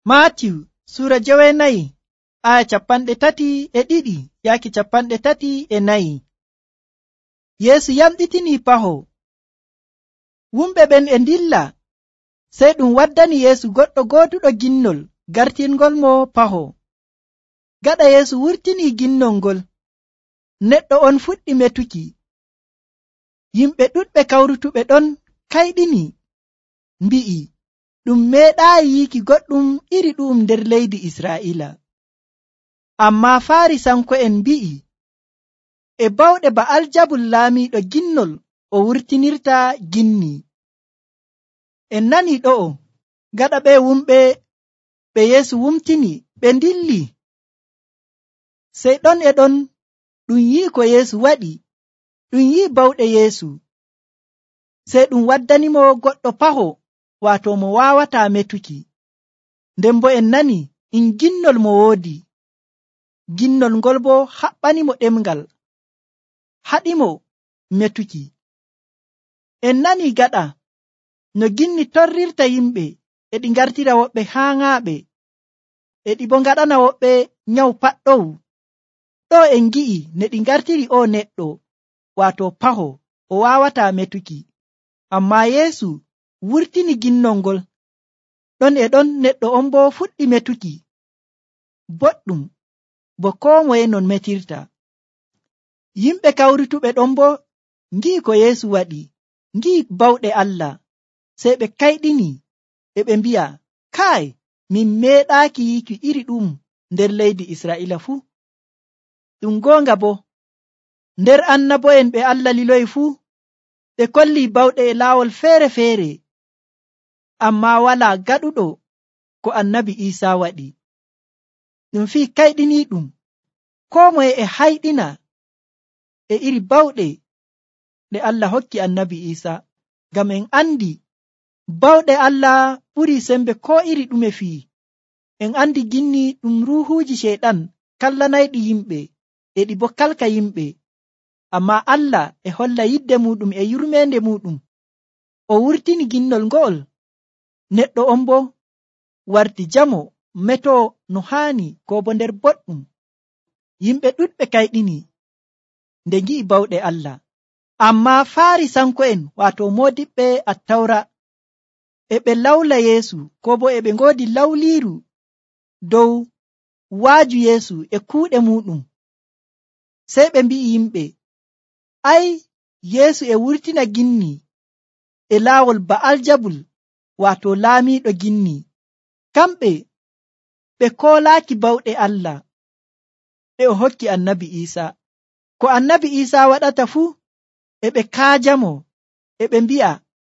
Maatiyu Sura 9 aya 32 yaaki 34. Yeesu yamɗitinii paho. Wumɓe ɓen e ndilla, sey ɗum waddani Yeesu goɗɗo gooduɗo ginnol gartirngol mo paho. Gaɗa Yeesu wurtinii ginnol ngol, neɗɗo on fuɗɗi metuki. Yimɓe ɗuɗɓe kawrutuɓe ɗon kayɗini, mbi'i, ɗum meeɗaayi yiiki goɗɗum iri ɗu'um nder leydi Israa'iila. Ammaa Faarisanko'en mbi'i, e bawɗe Ba'aljabul laamiiɗo ginnol o wurtinirta ginni. En nanii ɗo'o, gaɗa ɓe wumɓe ɓe Yeesu wumtini ɓe ndilli. Sey ɗon e ɗon ɗum yi'i ko Yeesu waɗi, ɗum yi'i bawɗe Yeesu. Sey ɗum waddanimo goɗɗo paho, waato mo waawataa metuki. Nden bo en nani ginnol mo woodi. Ginnol ngol bo haɓɓanimo ɗemngal, haɗimo metuki. En nani gaɗa no ginni torrirta yimɓe, e ɗi ngartira woɓɓe haaŋaaɓe, e ɗi bo ngaɗana woɓɓe nyawu paɗɗowu. Ɗo en ngi'i ne ɗi ngartiri o neɗɗo, waato paho, o waawataa metuki. Ammaa Yeesu wurtini ginnol ngol. Ɗon e ɗon neɗɗo on bo fuɗɗi metuki. Boɗɗum, bo koo moye non metirta. Yimɓe kawrutuɓe ɗon bo ngi'i ko Yeesu waɗi, ngi'i bawɗe Allah, sey ɓe kayɗini, e ɓe mbi'a, kaay, min meeɗaaki yiiki iri ɗum nder leydi Israa'iila fuu. Ɗum goonga bo, nder annabo'en ɓe Allah liloyi fuu, ɓe kollii bawɗe e laawol feere-feere, ammaa walaa gaɗuɗo ko annabi Iisaa waɗi. Ɗum fii kayɗiniiɗum, koo moye e hayɗina e iri bawɗe ɗe Allah hokki annabi Iisaa, ngam en andi bawɗe Allah ɓurii sembe koo iri ɗume fii. En andi ginni ɗum ruuhuuji Ceyɗan kallanayɗi yimɓe, e ɗi bo kalka yimɓe. Ammaa Allah e holla yidde muɗum e yurmeende muɗum. O wurtini ginnol ngo'ol. Neɗɗo on bo warti jamo, metoo no haani, ko bo nder boɗɗum. Yimɓe ɗuɗɓe kayɗini nde ngi'i bawɗe Allah. Ammaa Faarisanko'en, waato moodiɓɓe Attawra, e ɓe lawla Yeesu, ko bo e ɓe ngoodi lawliiru dow waaju Yeesu e kuuɗe muɗum. Sey ɓe mbi'i yimɓe, ay, Yeesu e wurtina ginni e laawol Ba'aljabul, waato laamiiɗo ginni. Kamɓe ɓe koolaaki bawɗe Allah ɗe o hokki annabi Iisaa. Ko annabi Iisaa waɗata fuu, e ɓe kaajamo, e ɓe mbi'a,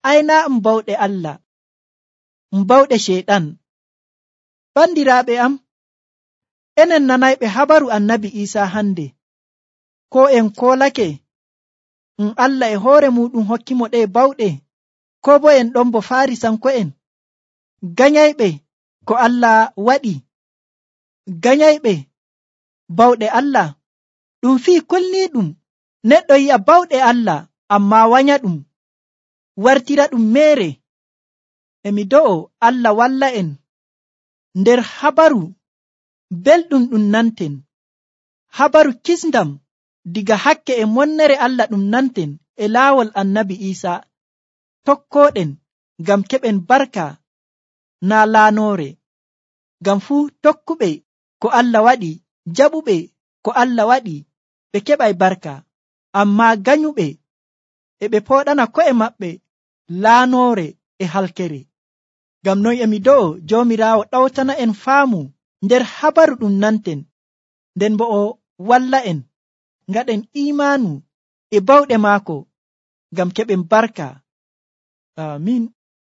ay, naa bawɗe Allah, bawɗe Ceyɗan. Bandiraaɓe am, enen nanayɓe habaru annabi Iisaa hande, ko en koolake Allah e hoore muɗum hokkimo ɗe bawɗe, ko bo en ɗon bo Faarisanko'en ganyayɓe ko Allah waɗi, ganyayɓe bawɗe Allah. Ɗum fii kulniiɗum neɗɗo yi'a bawɗe Allah ammaa wanya ɗum, wartira ɗum meere. Emi do'o Allah walla en nder habaru belɗum ɗum nanten, habaru kisndam diga hakke e monnere Allah ɗum nanten e laawol annabi Iisaa, tokkooɗen ngam keɓen barka naa laanoore. Ngam fuu tokkuɓe ko Allah waɗi, jaɓuɓe ko Allah waɗi, ɓe keɓay barka. Ammaa ganyuɓe e ɓe pooɗana ko'e maɓɓe laanoore e halkere. Ngam non emi do'o Joomiraawo ɗawtana en faamu nder habaru ɗum nanten, nden bo o walla en ngaɗen imaanu e bawɗe maako ngam keɓen barka. Amiin.